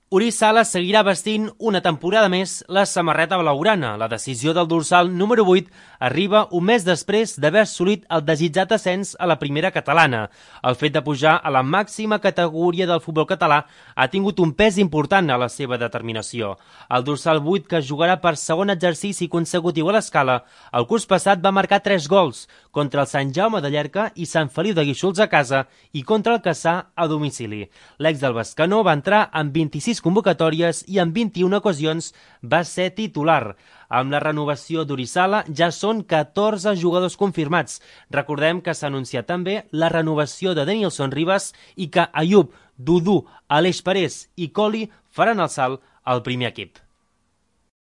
Uri Sala seguirà vestint una temporada més la samarreta blaugrana. La decisió del dorsal número 8 arriba un mes després d'haver assolit el desitjat ascens a la primera catalana. El fet de pujar a la màxima categoria del futbol català ha tingut un pes important a la seva determinació. El dorsal 8, que jugarà per segon exercici consecutiu a l'Escala, el curs passat va marcar 3 gols contra el Sant Jaume de Llierca i Sant Feliu de Guíxols a casa i contra el Cassà a domicili. L'ex del Bescanó va entrar en 26 convocatòries i en 21 ocasions va ser titular. Amb la renovació d'Uri Sala ja són 14 jugadors confirmats. Recordem que s'ha anunciat també la renovació de Denilson Ribas i que Ayub, Dudu, Aleix Parés i Coli faran el salt al primer equip.